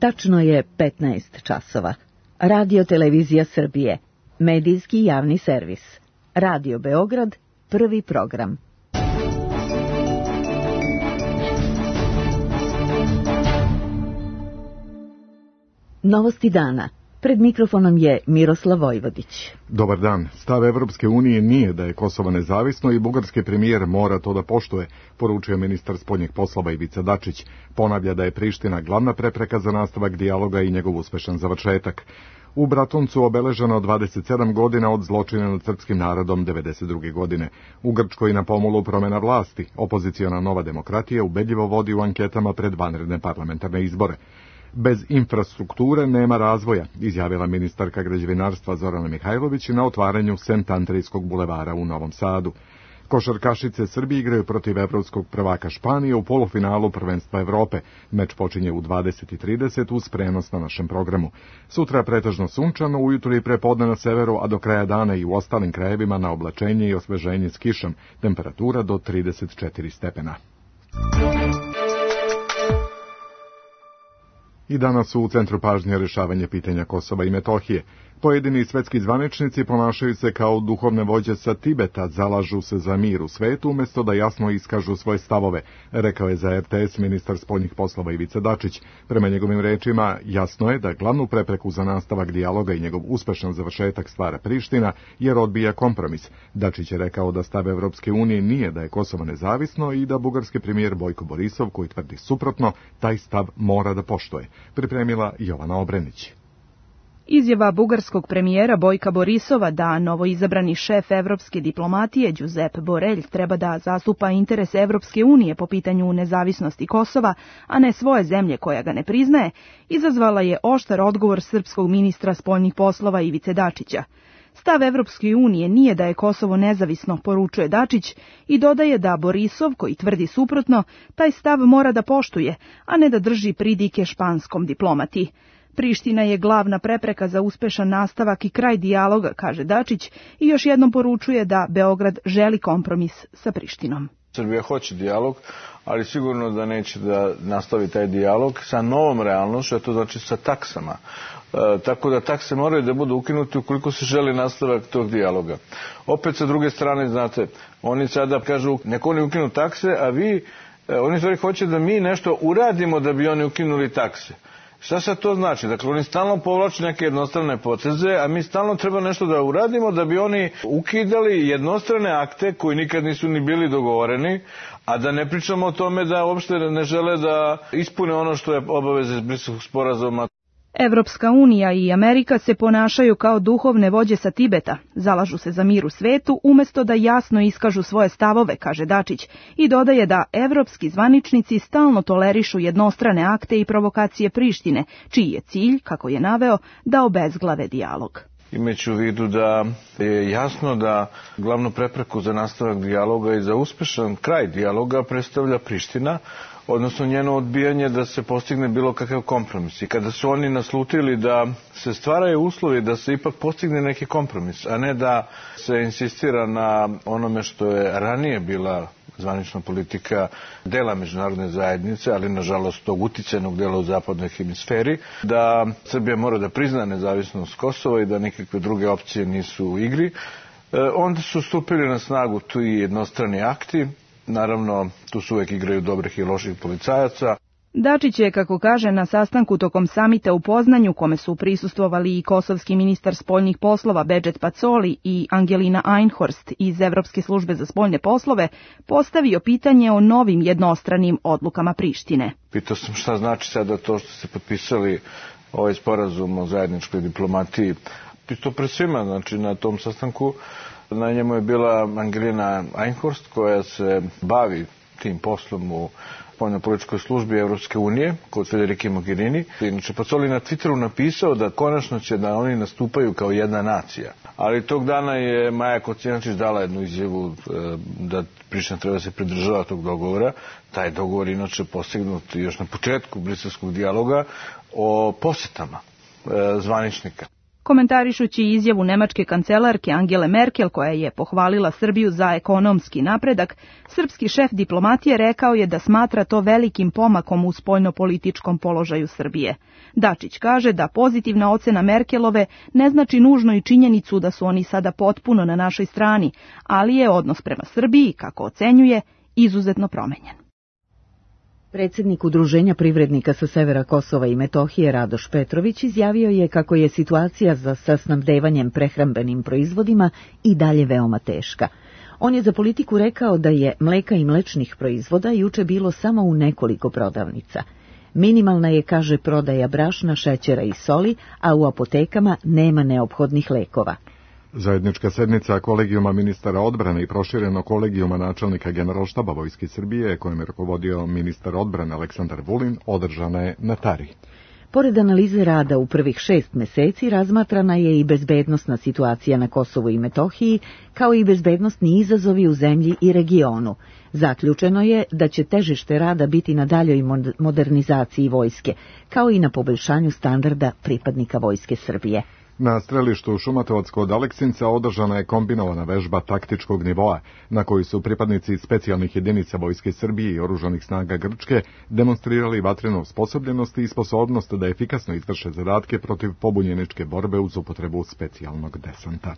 Tačno je 15 časova. Radio Televizija Srbije, medijski javni servis. Radio Beograd, prvi program. Novosti dana. Pred mikrofonom je Miroslav Vojvodić. Dobar dan. Stav Evropske unije nije da je Kosovo nezavisno i bugarski premijer mora to da poštuje, poručio ministar spoljnih poslova Ivica Dačić. Ponavlja da je Priština glavna prepreka za nastavak dijaloga i njegov uspešan završetak. U Bratuncu obeleženo 27 godina od zločina nad srpskim narodom 92. godine. U Grčkoj na pomolu promjena vlasti. Opoziciona Nova demokratija ubedljivo vodi u anketama pred vanredne parlamentarne izbore. Bez infrastrukture nema razvoja, izjavila ministarka građevinarstva Zorana Mihajlović na otvaranju Sent Andrejskog bulevara u Novom Sadu. Košarkašice Srbije igraju protiv evropskog prvaka Španije u polufinalu prvenstva Evrope. Meč počinje u 20:30 uz prenos na našem programu. Sutra pretežno sunčano, ujutro i prepodne na severu, a do kraja dana i u ostalim krajevima na oblačenje i osveženje s kišom. Temperatura do 34 stepena. I danas su u centru pažnje rješavanje pitanja Kosova i Metohije. Pojedini svetski zvaničnici ponašaju se kao duhovne vođe sa Tibeta, zalažu se za mir u svetu umjesto da jasno iskažu svoje stavove, rekao je za RTS ministar spoljnih poslova Ivica Dačić. Prema njegovim rečima, jasno je da glavnu prepreku za nastavak dijaloga i njegov uspešan završetak stvara Priština, jer odbija kompromis. Dačić je rekao da stav Evropske unije nije da je Kosovo nezavisno i da bugarski premijer Bojko Borisov, koji tvrdi suprotno, taj stav mora da poštuje. Pripremila Jovana Obrenić. Izjava bugarskog premijera Bojka Borisova da novoizabrani šef evropske diplomatije Giuseppe Borrell treba da zastupa interes Evropske unije po pitanju nezavisnosti Kosova, a ne svoje zemlje koja ga ne priznaje, izazvala je oštar odgovor srpskog ministra spoljnih poslova Ivice Dačića. Stav Evropske unije nije da je Kosovo nezavisno, poručuje Dačić i dodaje da Borisov, koji tvrdi suprotno, taj stav mora da poštuje, a ne da drži pridike španskom diplomati. Priština je glavna prepreka za uspešan nastavak i kraj dijaloga, kaže Dačić, i još jednom poručuje da Beograd želi kompromis sa Prištinom. Srbija hoće dijalog, ali sigurno da neće da nastavi taj dijalog sa novom realnošću, a to znači sa taksama. Tako da takse moraju da budu ukinuti ukoliko se želi nastavak tog dijaloga. Opet sa druge strane, znate, oni sada kažu neko oni ukinu takse, a oni stvari hoće da mi nešto uradimo da bi oni ukinuli takse. Šta sad to znači? Dakle, oni stalno povlače neke jednostrane poteze, a mi stalno treba nešto da uradimo da bi oni ukidali jednostrane akte koji nikad nisu ni bili dogovoreni, a da ne pričamo o tome da uopšte ne žele da ispune ono što je obaveza iz Briselskog sporazuma. Evropska unija i Amerika se ponašaju kao duhovne vođe sa Tibeta, zalažu se za mir u svetu umjesto da jasno iskažu svoje stavove, kaže Dačić, i dodaje da evropski zvaničnici stalno tolerišu jednostrane akte i provokacije Prištine, čiji je cilj, kako je naveo, da obezglave dijalog. Imajući u vidu da je jasno da glavnu prepreku za nastavak dijaloga i za uspešan kraj dijaloga predstavlja Priština, odnosno njeno odbijanje da se postigne bilo kakav kompromis. I kada su oni naslutili da se stvaraju uslovi da se ipak postigne neki kompromis, a ne da se insistira na onome što je ranije bila zvanična politika dela međunarodne zajednice, ali nažalost tog uticajnog dela u zapadnoj hemisferi, da Srbija mora da prizna nezavisnost Kosova i da nikakve druge opcije nisu u igri, onda su stupili na snagu tu i jednostrani akti. Naravno, tu su uvek igraju dobrih i loših policajaca. Dačić je, kako kaže, na sastanku tokom samita u Poznanju, kome su prisustvovali i kosovski ministar spoljnih poslova Bedžet Pacoli i Angelina Einhorst iz Evropske službe za spoljne poslove, postavio pitanje o novim jednostranim odlukama Prištine. Pitao sam šta znači sada to što ste potpisali ovaj sporazum o zajedničkoj diplomatiji. Pitao pre svima, znači na tom sastanku. Na njemu je bila Angelina Einhorst, koja se bavi tim poslom u spoljnopolitičkoj službi Evropske unije kod Federike Mogherini. Inače, Pacoli na Twitteru napisao da konačno će da oni nastupaju kao jedna nacija. Ali tog dana je Maja Kocijančić dala jednu izjavu da Priština treba se pridržava tog dogovora. Taj dogovor inače postignut još na početku briselskog dijaloga o posetama zvaničnika. Komentarišući izjavu nemačke kancelarke Angele Merkel, koja je pohvalila Srbiju za ekonomski napredak, srpski šef diplomatije rekao je da smatra to velikim pomakom u spoljnopolitičkom položaju Srbije. Dačić kaže da pozitivna ocena Merkelove ne znači nužno i činjenicu da su oni sada potpuno na našoj strani, ali je odnos prema Srbiji, kako ocenjuje, izuzetno promenjen. Predsjednik Udruženja privrednika sa severa Kosova i Metohije Radoš Petrović izjavio je kako je situacija sa snabdevanjem prehrambenim proizvodima i dalje veoma teška. On je za Politiku rekao da je mleka i mlečnih proizvoda juče bilo samo u nekoliko prodavnica. Minimalna je, kaže, prodaja brašna, šećera i soli, a u apotekama nema neophodnih lekova. Zajednička sednica kolegijuma ministara odbrane i prošireno kolegijuma načelnika Generalštaba Vojske Srbije, kojem je rukovodio ministar odbrane Aleksandar Vulin, održana je na Tari. Pored analize rada u prvih 6 meseci, razmatrana je i bezbednosna situacija na Kosovu i Metohiji, kao i bezbednosni izazovi u zemlji i regionu. Zaključeno je da će težište rada biti na daljoj modernizaciji vojske, kao i na poboljšanju standarda pripadnika Vojske Srbije. Na strelištu Šumatovac kod Aleksinca održana je kombinovana vežba taktičkog nivoa, na kojoj su pripadnici specijalnih jedinica Vojske Srbije i oružanih snaga Grčke demonstrirali vatrenu osposobljenost i sposobnost da efikasno izvrše zadatke protiv pobunjeničke borbe uz upotrebu specijalnog desanta.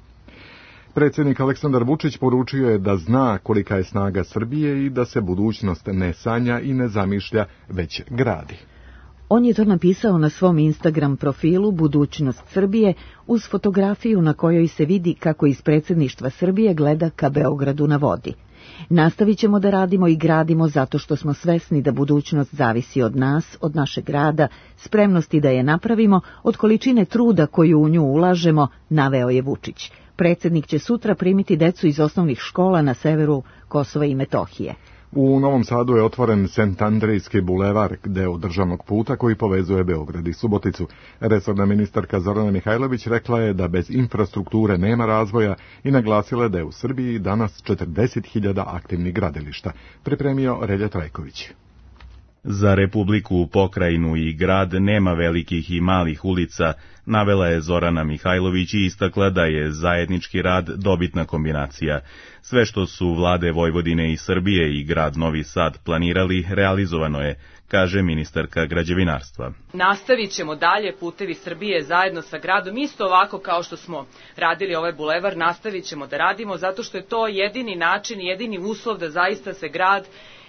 Predsjednik Aleksandar Vučić poručio je da zna kolika je snaga Srbije i da se budućnost ne sanja i ne zamišlja, već gradi. On je to napisao na svom Instagram profilu Budućnost Srbije uz fotografiju na kojoj se vidi kako iz predsjedništva Srbije gleda ka Beogradu na vodi. Nastavit ćemo da radimo i gradimo zato što smo svesni da budućnost zavisi od nas, od našeg rada, spremnosti da je napravimo, od količine truda koju u nju ulažemo, naveo je Vučić. Predsjednik će sutra primiti decu iz osnovnih škola na severu Kosova i Metohije. U Novom Sadu je otvoren Sent Andrejski bulevar, deo državnog puta koji povezuje Beograd i Suboticu. Resorna ministarka Zorana Mihajlović rekla je da bez infrastrukture nema razvoja i naglasila je da je u Srbiji danas 40.000 aktivnih gradilišta. Pripremio Relja Trajković. Za Republiku, pokrajinu i grad nema velikih i malih ulica, navela je Zorana Mihajlović i istakla da je zajednički rad dobitna kombinacija. Sve što su vlade Vojvodine i Srbije i grad Novi Sad planirali, realizovano je, kaže ministarka građevinarstva. Nastavit ćemo dalje Putevi Srbije zajedno sa gradom, isto ovako kao što smo radili ovaj bulevar, nastavit ćemo da radimo zato što je to jedini način, jedini uslov da zaista se grad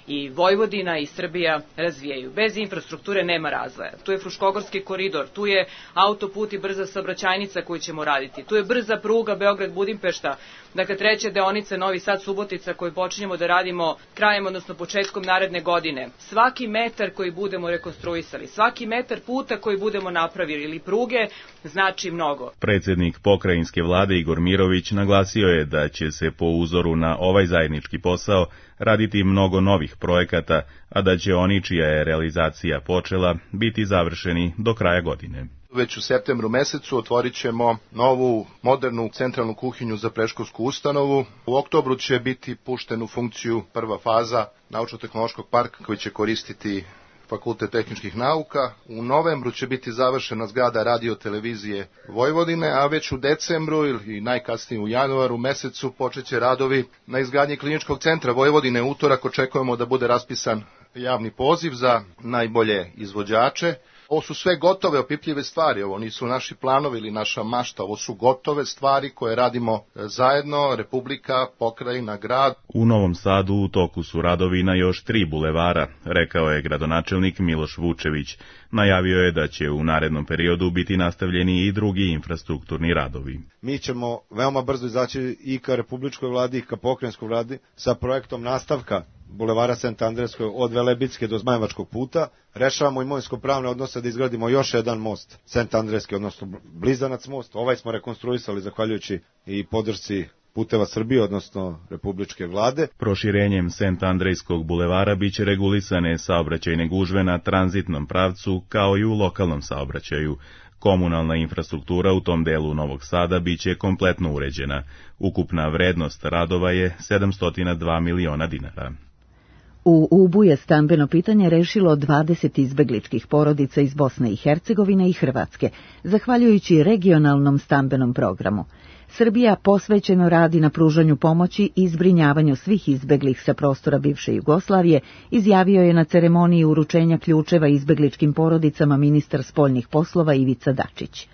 i Vojvodina i Srbija razvijaju. Bez infrastrukture nema razvoja. Tu je Fruškogorski koridor, tu je autoput i brza saobraćajnica koju ćemo raditi, tu je brza pruga Beograd-Budimpešta, dakle treća deonica Novi Sad-Subotica koju počinjemo da radimo krajem, odnosno početkom naredne godine. Svaki metar koji budemo rekonstruisali, svaki metar puta koji budemo napravili ili pruge, znači mnogo. Predsjednik pokrajinske vlade Igor Mirović naglasio je da će se po uzoru na ovaj zajednički posao raditi mnogo novih projekata, a da će oni čija je realizacija počela biti završeni do kraja godine. Već u septembru mesecu otvorit ćemo novu modernu centralnu kuhinju za predškolsku ustanovu. U oktobru će biti pušten u funkciju prva faza naučno-tehnološkog parka koji će koristiti Fakultet tehničkih nauka. U novembru će biti završena zgrada radio-televizije Vojvodine, a već u decembru ili najkasnije u januaru mesecu počeće radovi na izgradnji kliničkog centra Vojvodine. Utorak očekujemo da bude raspisan javni poziv za najbolje izvođače. Ovo su sve gotove, opipljive stvari, ovo nisu naši planovi ili naša mašta, ovo su gotove stvari koje radimo zajedno, Republika, pokrajina, grad. U Novom Sadu u toku su radovi na još 3 bulevara, rekao je gradonačelnik Miloš Vučević. Najavio je da će u narednom periodu biti nastavljeni i drugi infrastrukturni radovi. Mi ćemo veoma brzo izaći i ka republičkoj vladi i ka pokrajinskoj vladi sa projektom nastavka bulevara Sent Andrejskog od Velebitske do Zmajevačkog puta. Rešavamo imovinsko-pravne odnose da izgradimo još jedan most, Sent Andrejski, odnosno Blizanac most. Ovaj smo rekonstruisali zahvaljujući i podršci Puteva Srbije, odnosno republičke vlade. Proširenjem Sent Andrejskog bulevara biće regulisane saobraćajne gužve na tranzitnom pravcu kao i u lokalnom saobraćaju. Komunalna infrastruktura u tom delu Novog Sada biće kompletno uređena. Ukupna vrednost radova je 702 miliona dinara. U Ubu je stambeno pitanje rešilo 20 izbegličkih porodica iz Bosne i Hercegovine i Hrvatske, zahvaljujući regionalnom stambenom programu. Srbija posvećeno radi na pružanju pomoći i zbrinjavanju svih izbeglih sa prostora bivše Jugoslavije, izjavio je na ceremoniji uručenja ključeva izbegličkim porodicama ministar spoljnih poslova Ivica Dačić.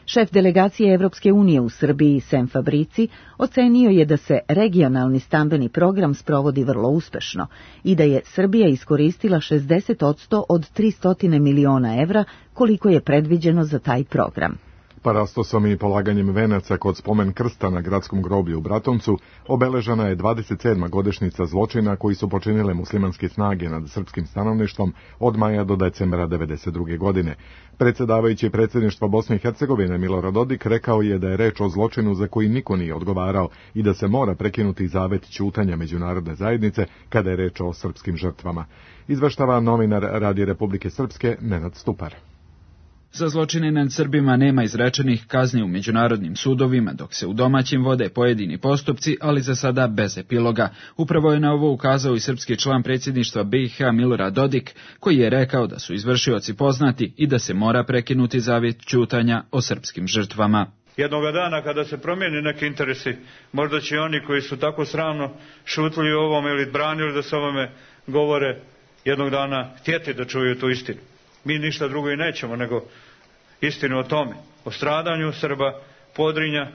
Šef delegacije Evropske unije u Srbiji, Sem Fabrici, ocenio je da se regionalni stambeni program sprovodi vrlo uspešno i da je Srbija iskoristila 60% od 300 miliona evra koliko je predviđeno za taj program. Parastosom i polaganjem venaca kod spomen krsta na gradskom groblju u Bratuncu obeležena je 27. godišnjica zločina koji su počinile muslimanske snage nad srpskim stanovništvom od maja do decembra 1992. godine. Predsjedavajući predsjedništva Bosne i Hercegovine Milorad Dodik rekao je da je reč o zločinu za koji niko nije odgovarao i da se mora prekinuti zavet ćutanja međunarodne zajednice kada je reč o srpskim žrtvama. Izveštava novinar Radija Republike Srpske Nenad Stupar. Za zločine nad Srbima nema izrečenih kazni u međunarodnim sudovima, dok se u domaćim vode pojedini postupci, ali za sada bez epiloga. Upravo je na ovo ukazao i srpski član predsjedništva BiH Milorad Dodik, koji je rekao da su izvršioci poznati i da se mora prekinuti zavjet ćutanja o srpskim žrtvama. Jednoga dana kada se promijeni neki interesi, možda će oni koji su tako sramno šutili o ovome ili branili da se ovome govore, jednog dana htjeti da čuju tu istinu. Mi ništa drugo i nećemo nego istinu o tome, o stradanju Srba, Podrinja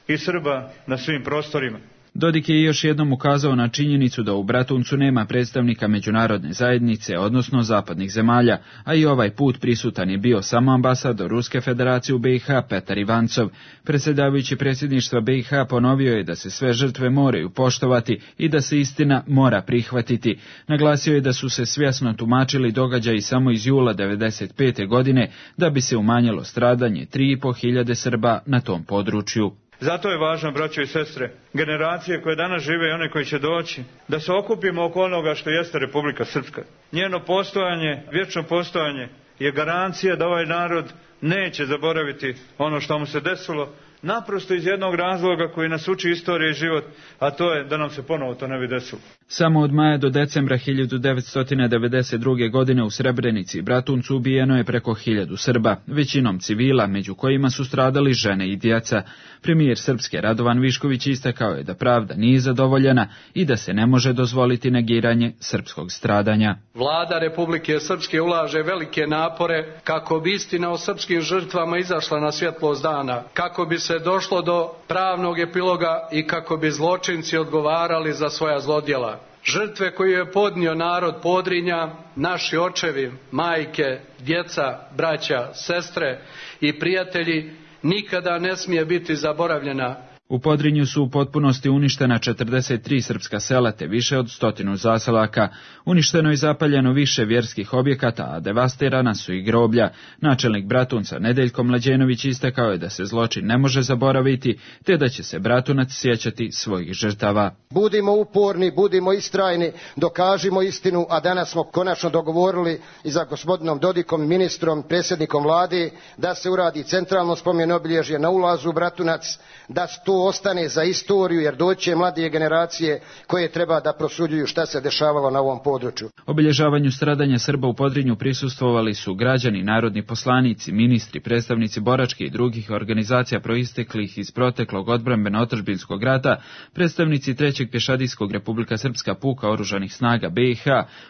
i Srba na svim prostorima. Dodik je još jednom ukazao na činjenicu da u Bratuncu nema predstavnika međunarodne zajednice, odnosno zapadnih zemalja, a i ovaj put prisutan je bio samo ambasador Ruske federacije u BiH Petar Ivancov. Predsjedavajući predsjedništva BiH ponovio je da se sve žrtve moraju poštovati i da se istina mora prihvatiti. Naglasio je da su se svjesno tumačili događaji samo iz jula 1995. godine da bi se umanjilo stradanje 3.500 Srba na tom području. Zato je važno, braćo i sestre, generacije koje danas žive i one koji će doći, da se okupimo oko onoga što jeste Republika Srpska. Njeno postojanje, vječno postojanje je garancija da ovaj narod neće zaboraviti ono što mu se desilo, naprosto iz jednog razloga koji nas uči istorija i život, a to je da nam se ponovo to ne bi desilo. Samo od maja do decembra 1992. godine u Srebrenici i Bratuncu ubijeno je preko 1000 Srba, većinom civila, među kojima su stradali žene i djeca. Premijer Srpske Radovan Višković istakao je da pravda nije zadovoljena i da se ne može dozvoliti negiranje srpskog stradanja. Vlada Republike Srpske ulaže velike napore kako bi istina o srpskim žrtvama izašla na svjetlost dana, kako bi se došlo do pravnog epiloga i kako bi zločinci odgovarali za svoja zlodjela. Žrtve koje je podnio narod Podrinja, naši očevi, majke, djeca, braća, sestre i prijatelji nikada ne smije biti zaboravljena. U Podrinju su u potpunosti uništena 43 srpska sela te više od 100 zaselaka. Uništeno i zapaljeno više vjerskih objekata, a devastirana su i groblja. Načelnik Bratunca Nedeljko Mlađenović istakao je da se zločin ne može zaboraviti, te da će se Bratunac sjećati svojih žrtava. Budimo uporni, budimo istrajni, dokažimo istinu, a danas smo konačno dogovorili i za gospodinom Dodikom, ministrom, predsjednikom vlade, da se uradi centralno spomen obilježje na ulazu u Bratunac, da to ostane za istoriju, jer doći će mladije generacije koje treba da prosuđuju šta se dešavalo na ovom području. Obilježavanju stradanja Srba u Podrinju prisustvovali su građani, narodni poslanici, ministri, predstavnici boračke i drugih organizacija proisteklih iz proteklog odbrambeno-otadžbinskog rata, predstavnici 3. pješadijskog Republika Srpska puka oružanih snaga BiH,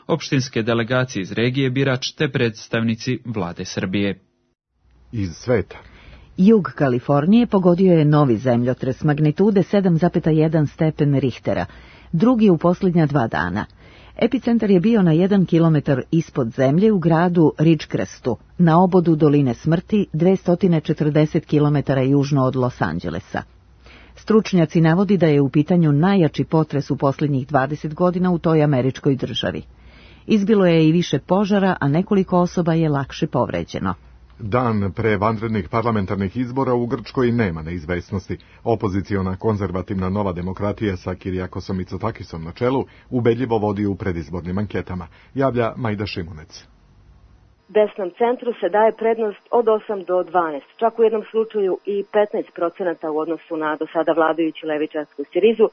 opštinske delegacije iz regije Birač te predstavnici vlade Srbije. Iz sveta. Jug Kalifornije pogodio je novi zemljotres magnitude 7,1 stepen Richtera, drugi u posljednja 2 dana. Epicentar je bio na 1 kilometar ispod zemlje u gradu Ridgecrestu, na obodu Doline smrti 240 kilometara južno od Los Angelesa. Stručnjaci navodi da je u pitanju najjači potres u posljednjih 20 godina u toj američkoj državi. Izbilo je i više požara, a nekoliko osoba je lakše povređeno. Dan pre vanrednih parlamentarnih izbora u Grčkoj nema neizvesnosti. Opoziciona konzervativna Nova demokratija sa Kirijakosom Mitsotakisom na čelu ubedljivo vodi u predizbornim anketama, javlja Majda Šimunec. Desnom centru se daje prednost od 8 do 12, čak u jednom slučaju i 15% u odnosu na do sada vladajuću levičarsku Sirizu,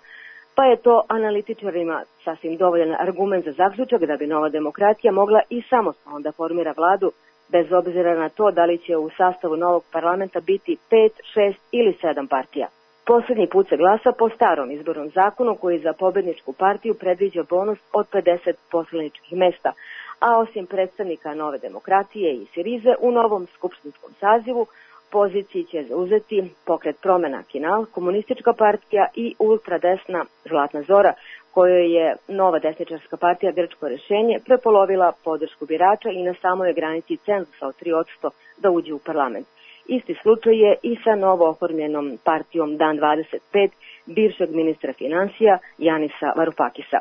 pa je to analitičarima sasvim dovoljan argument za zaključak da bi Nova demokratija mogla i samostalno da formira vladu, bez obzira na to da li će u sastavu novog parlamenta biti 5, 6 ili 7 partija. Poslednji put se glasa po starom izbornom zakonu koji za pobedničku partiju predviđa bonus od 50 poslaničkih mesta, a osim predstavnika Nove demokratije i Sirize u novom skupštinskom sazivu poziciji će zauzeti Pokret promena Kinal, Komunistička partija i ultradesna Zlatna Zora, kojoj je Nova desničarska partija Grčko rešenje prepolovila podršku birača i na samoj granici cenzusa od 3% da uđe u parlament. Isti slučaj je i sa novo oformljenom partijom Dan 25 bivšeg ministra finansija Janisa Varufakisa.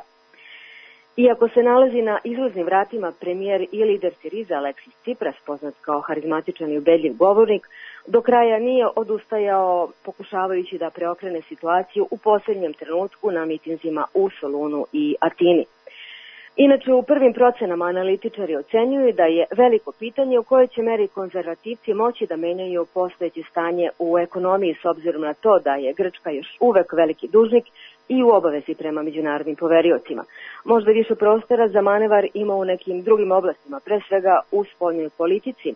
Iako se nalazi na izlaznim vratima premijer i lider Siriza Aleksis Tsipras, poznat kao harizmatičan i ubedljiv govornik, do kraja nije odustajao pokušavajući da preokrene situaciju u posljednjem trenutku na mitinzima u Solunu i Atini. Inače, u prvim procenama analitičari ocenjuju da je veliko pitanje u kojoj će meri konzervativci moći da menjaju postojeće stanje u ekonomiji s obzirom na to da je Grčka još uvek veliki dužnik i u obavezi prema međunarodnim poveriocima. Možda više prostora za manevar ima u nekim drugim oblastima, pre svega u spoljnoj politici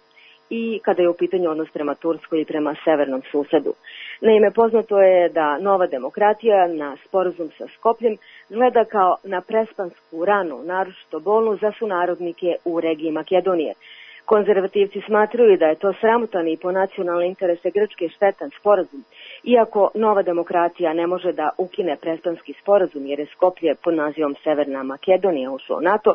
i kada je u pitanju odnos prema Turskoj i prema severnom susedu. Naime, poznato je da Nova demokratija na sporazum sa Skopljem gleda kao na prespansku ranu, naročito bolnu za sunarodnike u regiji Makedonije. Konzervativci smatraju da je to sramotan i po nacionalne interese Grčke štetan sporazum, iako Nova demokratija ne može da ukine prespanski sporazum jer je Skoplje pod nazivom Severna Makedonija ušlo u NATO,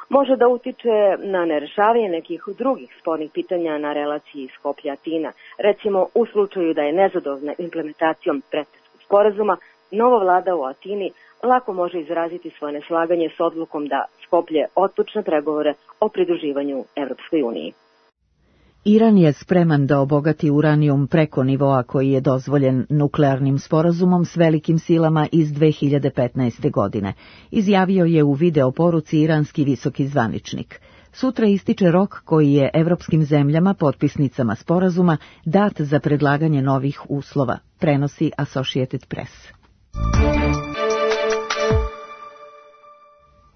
može da utiče na nerešavanje nekih drugih spornih pitanja na relaciji Skoplje-Atina. Recimo, u slučaju da je nezadovoljna implementacijom prespanskog sporazuma, nova vlada u Atini lako može izraziti svoje neslaganje s odlukom da Skoplje otpočne pregovore o pridruživanju Evropskoj uniji. Iran je spreman da obogati uranijum preko nivoa koji je dozvoljen nuklearnim sporazumom s velikim silama iz 2015. godine, izjavio je u video poruci iranski visoki zvaničnik. Sutra ističe rok koji je evropskim zemljama, potpisnicama sporazuma, dat za predlaganje novih uslova, prenosi Associated Press.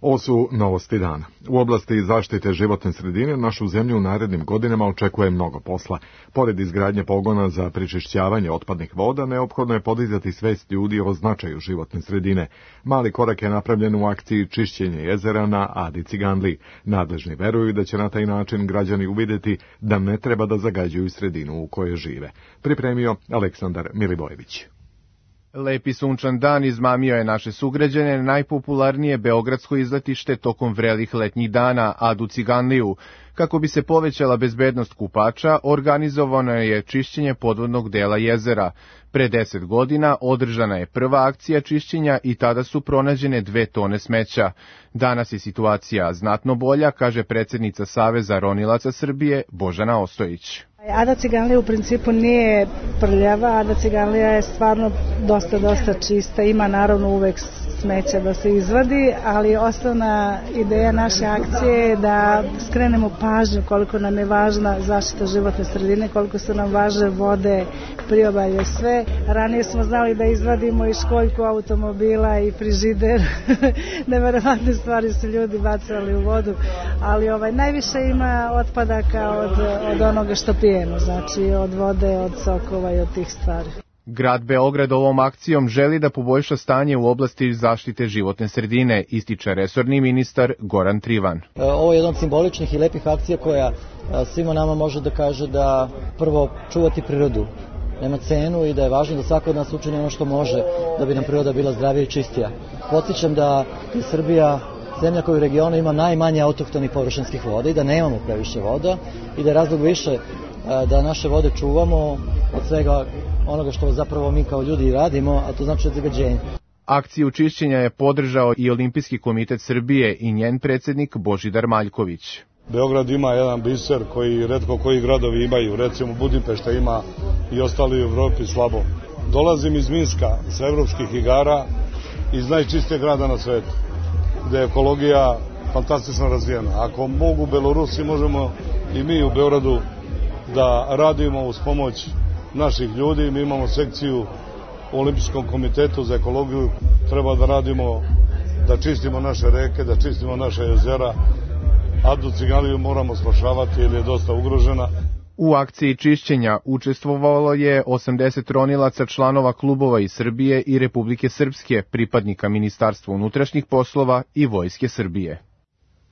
Ovo su novosti dana. U oblasti zaštite životne sredine našu zemlju u narednim godinama očekuje mnogo posla. Pored izgradnje pogona za prečišćavanje otpadnih voda, neophodno je podizati svest ljudi o značaju životne sredine. Mali korak je napravljen u akciji čišćenje jezera na Adi Ciganliji. Nadležni veruju da će na taj način građani uvidjeti da ne treba da zagađuju sredinu u kojoj žive. Pripremio Aleksandar Milivojević. Lepi sunčan dan izmamio je naše sugrađane na najpopularnije beogradsko izletište tokom vrelih letnjih dana, Adu Ciganliju. Kako bi se povećala bezbednost kupača, organizovano je čišćenje podvodnog dela jezera. Pre 10 godina održana je prva akcija čišćenja i tada su pronađene 2 tone smeća. Danas je situacija znatno bolja, kaže predsjednica Saveza ronilaca Srbije Božana Ostojić. Ada Ciganlija u principu nije prljava, Ada Ciganlija je stvarno dosta čista, ima naravno uvek smeća da se izvadi, ali osnovna ideja naše akcije je da skrenemo pažnju koliko nam je važna zaštita životne sredine, koliko su nam važne vode, priobalje, sve. Ranije smo znali da izvadimo i školjku automobila i frižider, neverovatne stvari su ljudi bacali u vodu, ali najviše ima otpadaka od onoga što pijemo, znači od vode, od sokova i od tih stvari. Grad Beograd ovom akcijom želi da poboljša stanje u oblasti zaštite životne sredine, ističe resorni ministar Goran Trivan. Ovo je jedna od simboličnih i lepih akcija koja svima nama može da kaže da prvo čuvati prirodu nema cenu i da je važno da svako od nas učini ono što može da bi nam priroda bila zdravija i čistija. Podsjećam da je Srbija zemlja koja u regionu ima najmanje autohtonih površinskih voda i da nemamo previše voda i da je razlog više da naše vode čuvamo od svega onoga što zapravo mi kao ljudi radimo, a to znači od zagađenja. Akciju čišćenja je podržao i Olimpijski komitet Srbije i njen predsjednik Božidar Maljković. Beograd ima jedan biser koji retko koji gradovi imaju, recimo Budimpešta ima i ostali u Evropi slabo. Dolazim iz Minska sa evropskih igara, iz najčistijeg grada na svetu, gde je ekologija fantastično razvijena. Ako mogu Belorusi, možemo i mi u Beogradu da radimo uz pomoć naših ljudi. Mi imamo sekciju u Olimpijskom komitetu za ekologiju treba da radimo, da čistimo naše reke, da čistimo naše jezera. Adu Ciganliju moramo spašavati jer je dosta ugrožena. U akciji čišćenja učestvovalo je 80 ronilaca članova klubova iz Srbije i Republike Srpske, pripadnika Ministarstva unutrašnjih poslova i Vojske Srbije.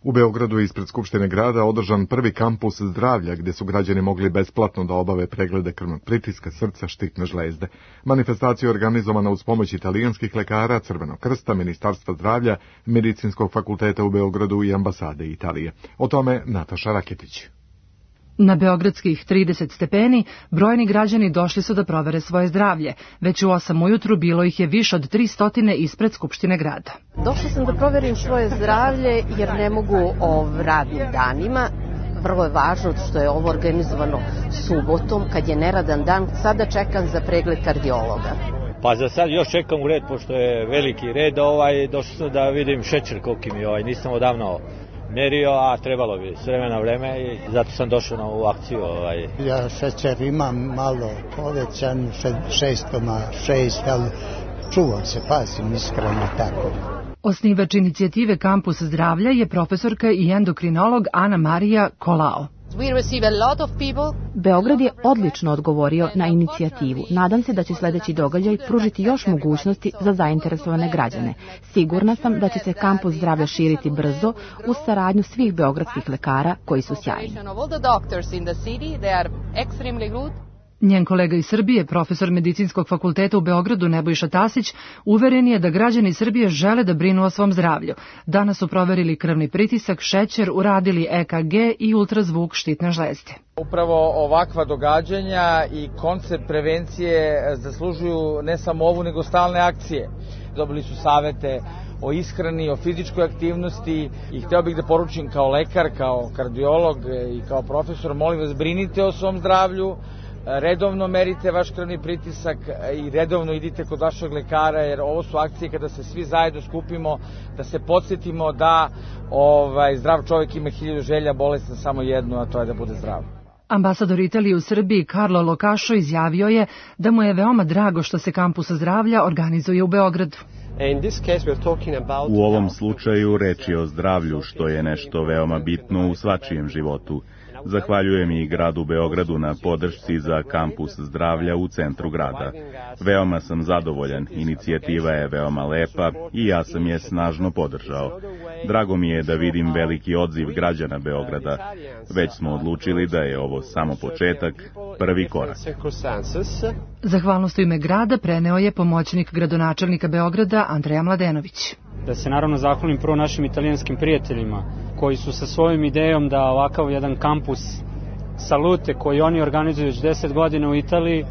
U Beogradu je ispred Skupštine grada održan prvi kampus zdravlja gdje su građani mogli besplatno da obave preglede krvnog pritiska, srca, štitne žlezde. Manifestacija je organizovana uz pomoć italijanskih lekara, Crvenog krsta, Ministarstva zdravlja, Medicinskog fakulteta u Beogradu i ambasade Italije. O tome Nataša Raketić. Na beogradskih 30 stepeni brojni građani došli su da provere svoje zdravlje. Već u 8 ujutru bilo ih je više od 300 ispred Skupštine grada. Došla sam da proverim svoje zdravlje jer ne mogu radnim danima. Vrlo je važno što je ovo organizovano subotom kad je neradan dan. Sada čekam za pregled kardiologa. Pa za sad još čekam u red pošto je veliki red. Došao sam da vidim šećer koliki mi nisam odavno merio, a trebalo bi s vremena vreme i zato sam došao na ovu akciju. Ja šećer imam malo povećan, 6,6, ali čuvam se, pazim iskreno tako. Osnivač inicijative Kampus zdravlja je profesorka i endokrinolog Ana Marija Kolao. Beograd je odlično odgovorio na inicijativu. Nadam se da će sljedeći događaj pružiti još mogućnosti za zainteresovane građane. Sigurna sam da će se kampus zdravlja širiti brzo uz saradnju svih beogradskih lekara koji su sjajni. Njen kolega iz Srbije, profesor Medicinskog fakulteta u Beogradu Nebojša Tasić, uveren je da građani Srbije žele da brinu o svom zdravlju. Danas su proverili krvni pritisak, šećer, uradili EKG i ultrazvuk štitne žlezde. Upravo ovakva događanja i koncept prevencije zaslužuju ne samo ovu nego stalne akcije. Dobili su savete o ishrani, o fizičkoj aktivnosti i hteo bih da poručim kao lekar, kao kardiolog i kao profesor, molim vas, brinite o svom zdravlju, redovno merite vaš krvni pritisak i redovno idite kod vašeg lekara, jer ovo su akcije kada se svi zajedno skupimo, da se podsjetimo da zdrav čovjek ima 1000 želja, bolestan samo jednu, a to je da bude zdrav. Ambasador Italije u Srbiji Carlo Locašo izjavio je da mu je veoma drago što se kampus zdravlja organizuje u Beogradu. U ovom slučaju reč je o zdravlju, što je nešto veoma bitno u svačijem životu. Zahvaljujem i gradu Beogradu na podršci za kampus zdravlja u centru grada. Veoma sam zadovoljan, inicijativa je veoma lepa i ja sam je snažno podržao. Drago mi je da vidim veliki odziv građana Beograda. Već smo odlučili da je ovo samo početak, prvi korak. Zahvalnost u ime grada preneo je pomoćnik gradonačelnika Beograda Andreja Mladenović. Da se naravno zahvalim prvo našim italijanskim prijateljima koji su sa svojom idejom da ovakav jedan kampus salute koji oni organizuju već 10 godina u Italiji,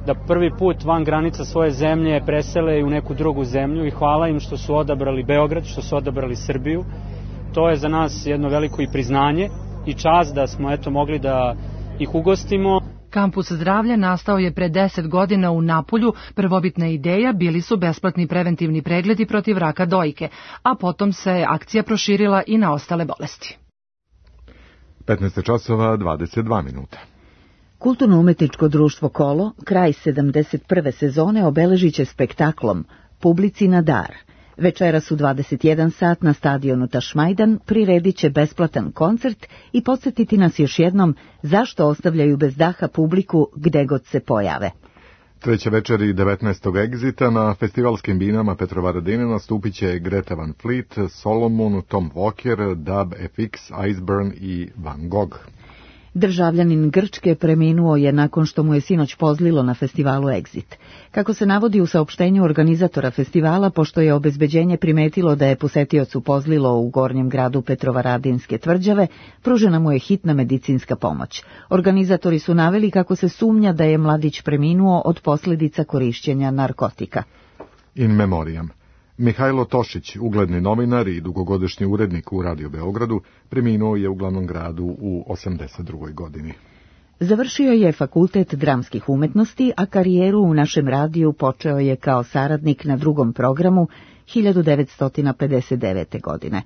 da prvi put van granica svoje zemlje presele u neku drugu zemlju i hvala im što su odabrali Beograd, što su odabrali Srbiju. To je za nas jedno veliko i priznanje i čast da smo mogli da ih ugostimo. Kampus zdravlja nastao je pre 10 godina u Napulju. Prvobitna ideja bili su besplatni preventivni pregledi protiv raka dojke, a potom se akcija proširila i na ostale bolesti. 15:22. Kulturno-umetničko društvo Kolo kraj 71. sezone obeležit će spektaklom Publici na dar. Večeras u 21 sat na stadionu Tašmajdan priredit će besplatan koncert i podsjetiti nas još jednom zašto ostavljaju bez daha publiku gde god se pojave. Treća večer i 19. egzita na festivalskim binama Petrovaradine nastupit će Greta Van Fleet, Solomon, Tom Walker, Dub FX, Iceburn i Van Gogh. Državljanin Grčke preminuo je nakon što mu je sinoć pozlilo na festivalu Exit. Kako se navodi u saopštenju organizatora festivala, pošto je obezbeđenje primetilo da je posetiocu pozlilo u gornjem gradu Petrovaradinske tvrđave, pružena mu je hitna medicinska pomoć. Organizatori su naveli kako se sumnja da je mladić preminuo od posljedica korišćenja narkotika. In memoriam. Mihajlo Tošić, ugledni novinar i dugogodišnji urednik u Radio Beogradu, preminuo je u glavnom gradu u 82. godini. Završio je Fakultet dramskih umetnosti, a karijeru u našem radiju počeo je kao saradnik na drugom programu 1959. godine.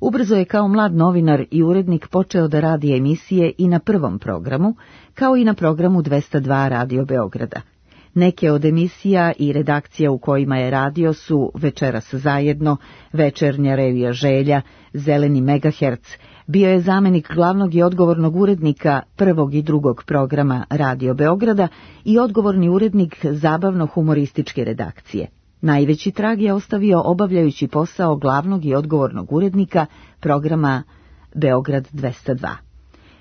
Ubrzo je kao mlad novinar i urednik počeo da radi emisije i na prvom programu, kao i na programu 202 Radio Beograda. Neke od emisija i redakcija u kojima je radio su Večeras zajedno, Večernja revija Želja, Zeleni megaherc. Bio je zamenik glavnog i odgovornog urednika prvog i drugog programa Radio Beograda i odgovorni urednik zabavno-humorističke redakcije. Najveći trag je ostavio obavljajući posao glavnog i odgovornog urednika programa Beograd 202.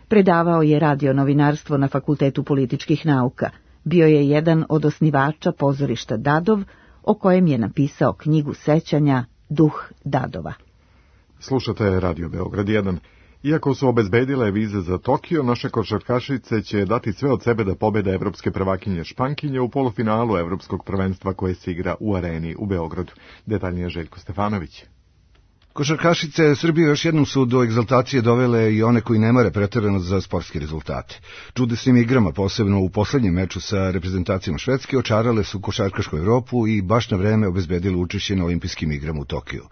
Predavao je radio novinarstvo na Fakultetu političkih nauka. Bio je jedan od osnivača pozorišta Dadov, o kojem je napisao knjigu sećanja Duh Dadova. Slušate Radio Beograd 1. Iako su obezbedile vize za Tokio, naše košarkašice će dati sve od sebe da pobede evropske prvakinje Špankinje u polufinalu evropskog prvenstva koje se igra u Areni u Beogradu. Detaljnije Željko Stefanović. Košarkašice Srbije još jednom su do egzaltacije dovele i one koji ne mare preterano za sportske rezultate. Čudesnim igrama, posebno u poslednjem meču sa reprezentacijom Švedske, očarale su košarkašku Evropu i baš na vreme obezbedile učešće na olimpijskim igrama u Tokiju.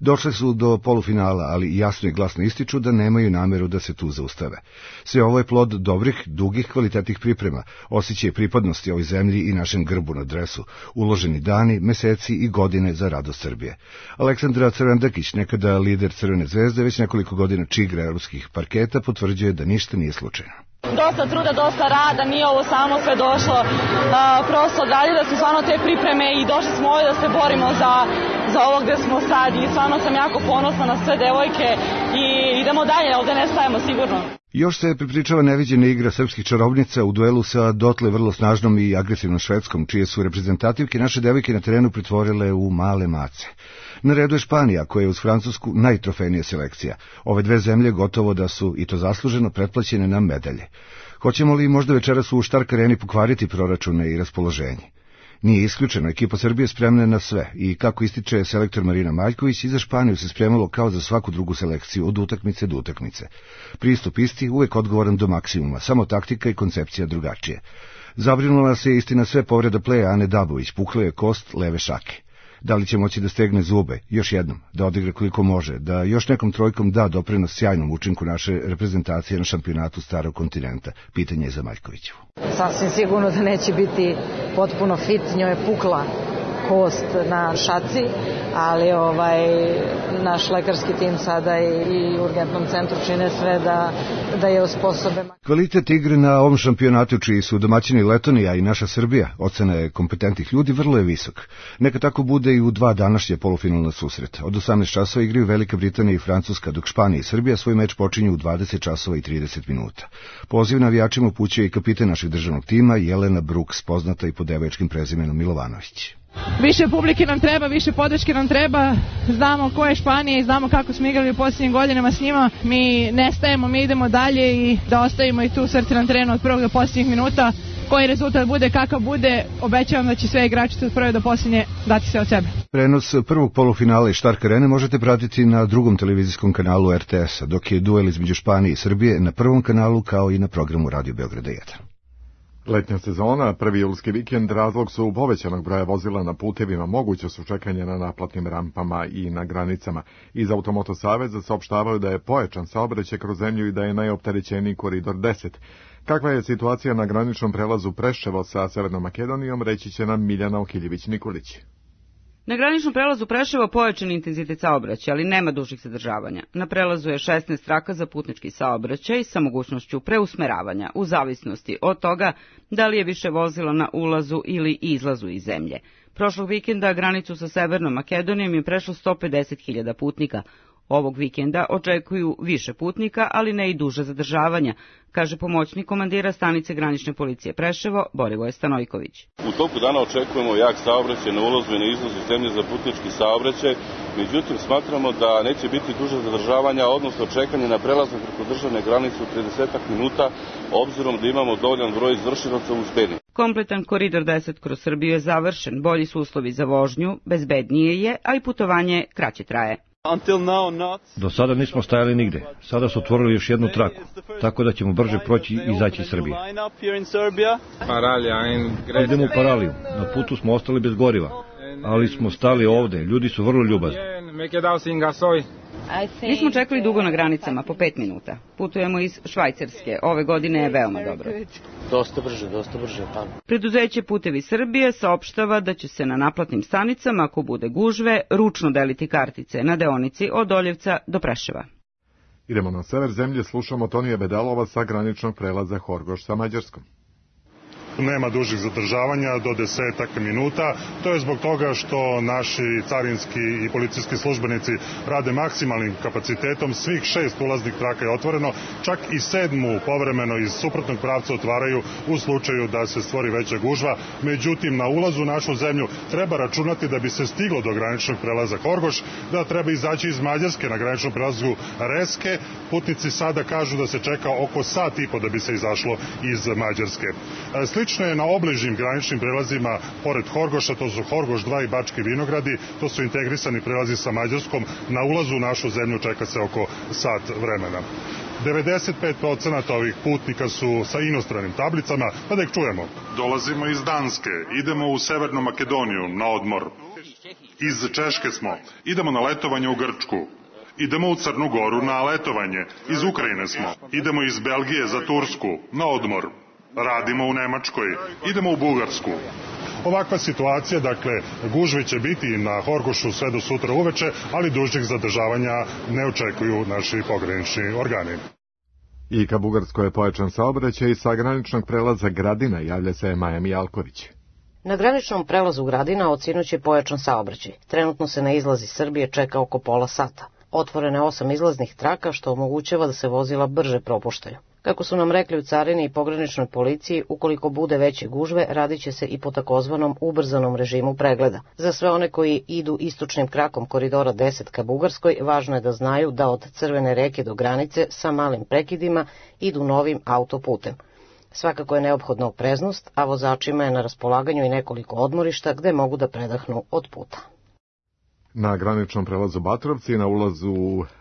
Došle su do polufinala, ali jasno i glasno ističu da nemaju nameru da se tu zaustave. Sve ovo je plod dobrih, dugih, kvalitetnih priprema, osjećaj pripadnosti ovoj zemlji i našem grbu na dresu, uloženi dani, meseci i godine za radost Srbije. Aleksandra Crvendakić, nekada lider Crvene zvezde, već nekoliko godina čigra evropskih parketa, potvrđuje da ništa nije slučajno. Dosta truda, dosta rada, nije ovo samo sve došlo, prosto odradili da su stvarno te pripreme i došli smo ovdje da se borimo za ovo gde smo sad i stvarno sam jako ponosna na sve devojke i idemo dalje, ovdje ne stajemo sigurno. Još se pripričava neviđena igra srpskih čarobnica u duelu sa dotle vrlo snažnom i agresivnom Švedskom, čije su reprezentativke naše devojke na terenu pretvorile u male mace. Na redu je Španija, koja je uz Francusku najtrofejnija selekcija. Ove dve zemlje gotovo da su, i to zasluženo, pretplaćene na medalje. Hoćemo li možda večeras u Štark Areni pokvariti proračune i raspoloženje? Nije isključeno, ekipa Srbije spremna na sve i, kako ističe selektor Marina Maljković, i za Španiju se spremalo kao za svaku drugu selekciju, od utakmice do utakmice. Pristup isti, uvek odgovoran do maksimuma, samo taktika i koncepcija drugačije. Zabrinula se istina sve povreda pleja Ane Dabović, pukla je kost leve šake. Da li će moći da stegne zube, još jednom, da odigra koliko može, da još nekom trojkom da doprinos sjajnom učinku naše reprezentacije na šampionatu Starog kontinenta? Pitanje je za Maljkovićevu. Sasvim sigurno da neće biti potpuno fit, njoj je pukla kost na šaci, ali naš lekarski tim sada i urgentnom centru čine sve da je osposobe. Kvalitet igre na ovom šampionatu, čiji su domaćini Letonija i naša Srbija, ocena je kompetentnih ljudi, vrlo je visok. Neka tako bude i u dva današnje polufinalna susreta. Od 18 časova igraju Velika Britanija i Francuska, dok Španija i Srbija svoj meč počinju u 20 časova i 30 minuta. Poziv navijačima upućuje i kapitan našeg državnog tima Jelena Brooks, poznata i pod devojačkim prezimenom Milovanović. Više publike nam treba, više podrške nam treba, znamo ko je Španija i znamo kako smo igrali u posljednjim godinama s njima, mi nestajemo, mi idemo dalje i da ostavimo ih tu srce na terenu od prvog do posljednjih minuta. Koji rezultat bude, kakav bude, obećavam da će sve igračice od prve do posljednje dati se od sebe. Prenos prvog polufinala i Štark Arene možete pratiti na drugom televizijskom kanalu RTS-a, dok je duel između Španije i Srbije na prvom kanalu kao i na programu Radio Beograda 1. Letnja sezona, prvi julski vikend, razlog su povećanog broja vozila na putevima, moguće su čekanje na naplatnim rampama i na granicama. Iz Automoto Saveza saopštavaju da je pojačan saobraćaj kroz zemlju i da je najopterećeniji koridor 10. Kakva je situacija na graničnom prelazu Preševo sa Severnom Makedonijom, reći će nam Miljana Okiljević-Nikolić. Na graničnom prelazu Preševo pojačan intenzitet saobraćaja, ali nema dužih zadržavanja. Na prelazu je 16 traka za putnički saobraćaj sa mogućnošću preusmeravanja, u zavisnosti od toga da li je više vozila na ulazu ili izlazu iz zemlje. Prošlog vikenda granicu sa Severnom Makedonijom je prešlo 150.000 putnika. Ovog vikenda očekuju više putnika, ali ne i duže zadržavanja, kaže pomoćnik komandira stanice granične policije Preševo, Borivoje Stanojković. U toku dana očekujemo jak saobraćaj na ulazu i na izlazu zemlje za putnički saobraćaj, međutim smatramo da neće biti duže zadržavanja, odnosno čekanje na prelazak preko državne granice u 30 minuta, obzirom da imamo dovoljan broj izvršilaca uz Benin. Kompletan koridor 10 kroz Srbiju je završen, bolji su uslovi za vožnju, bezbednije je, a i putovanje kraće traje. Do sada nismo stajali nigde. Sada su otvorili još jednu traku, tako da ćemo brže proći i izaći iz Srbije. Idemo u Paraliju. Na putu smo ostali bez goriva, ali smo stali ovde. Ljudi su vrlo ljubazni. Nismo čekali dugo na granicama, po 5 minuta. Putujemo iz Švajcarske. Ove godine je veoma dobro. Dosta brže. Pa. Preduzeće Putevi Srbije saopštava da će se na naplatnim stanicama, ako bude gužve, ručno deliti kartice na deonici od Oljevca do Preševa. Idemo na sever zemlje, slušamo Tonija Bedalova sa graničnog prelaza Horgoš sa Mađarskom. Nema dužih zadržavanja do 10 minuta. To je zbog toga što naši carinski i policijski službenici rade maksimalnim kapacitetom. Svih 6 ulaznih traka je otvoreno, čak i 7. povremeno iz suprotnog pravca otvaraju u slučaju da se stvori veća gužva. Međutim, na ulazu u našu zemlju treba računati da bi se stiglo do graničnog prelaza Horgoš, da treba izaći iz Mađarske na graničnom prelazu Reske. Putnici sada kažu da se čeka oko sat i po da bi se izašlo iz Mađarske. Slično je na obližnjim graničnim prelazima pored Horgoša, to su Horgoš 2 i Bački Vinogradi, to su integrisani prelazi sa Mađarskom. Na ulazu u našu zemlju čeka se oko sat vremena. 95% ovih putnika su sa inostranim tablicama, pa da ih čujemo. Dolazimo iz Danske, idemo u Severnu Makedoniju na odmor. Iz Češke smo, idemo na letovanje u Grčku. Idemo u Crnu Goru na letovanje, iz Ukrajine smo, idemo iz Belgije za Tursku na odmor. Radimo u Nemačkoj, idemo u Bugarsku. Ovakva situacija, dakle, gužve će biti na Horgošu sve do sutra uveče, ali dužih zadržavanja ne očekuju naši pogranični organi. I ka Bugarskoj je pojačan saobraćaj i sa graničnog prelaza Gradina javlja se Maja Mijalković. Na graničnom prelazu Gradina od sinoć je pojačan saobraćaj. Trenutno se na izlaz iz Srbije čeka oko pola sata. Otvoreno je 8 izlaznih traka, što omogućava da se vozila brže propuštaju. Kako su nam rekli u carini i pograničnoj policiji, ukoliko bude veće gužve, radit će se i po takozvanom ubrzanom režimu pregleda. Za sve one koji idu istočnim krakom koridora 10 ka Bugarskoj, važno je da znaju da od Crvene reke do granice sa malim prekidima idu novim autoputem. Svakako je neophodna opreznost, a vozačima je na raspolaganju i nekoliko odmorišta gde mogu da predahnu od puta. Na graničnom prelazu Batrovci na ulazu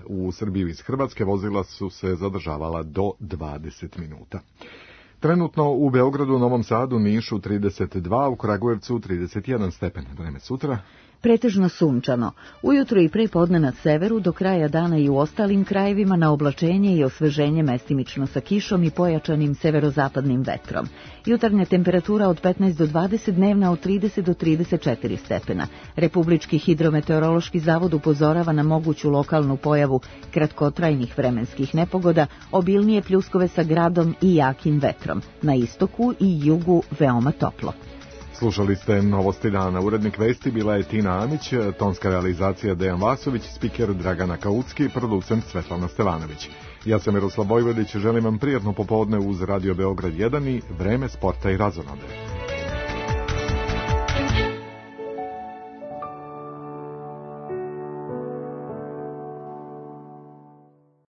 u Srbiju iz Hrvatske vozila su se zadržavala do 20 minuta. Trenutno u Beogradu, Novom Sadu, Nišu 32, u Kragujevcu 31 stepen. Vreme sutra pretežno sunčano. Ujutro i pre podne na severu, do kraja dana i u ostalim krajevima na oblačenje i osveženje mestimično sa kišom i pojačanim severozapadnim vetrom. Jutarnja temperatura od 15 do 20, dnevna od 30 do 34 stepena. Republički hidrometeorološki zavod upozorava na moguću lokalnu pojavu kratkotrajnih vremenskih nepogoda, obilnije pljuskove sa gradom i jakim vetrom. Na istoku i jugu veoma toplo. Slušali ste Novosti dana. Urednik vesti bila je Tina Amić, tonska realizacija Dejan Vasović, spiker Dragana Kautski, producent Svetlana Stevanović. Ja sam Miroslav Vojvodić, želim vam prijatno popodne uz Radio Beograd 1 i vreme sporta i razonode.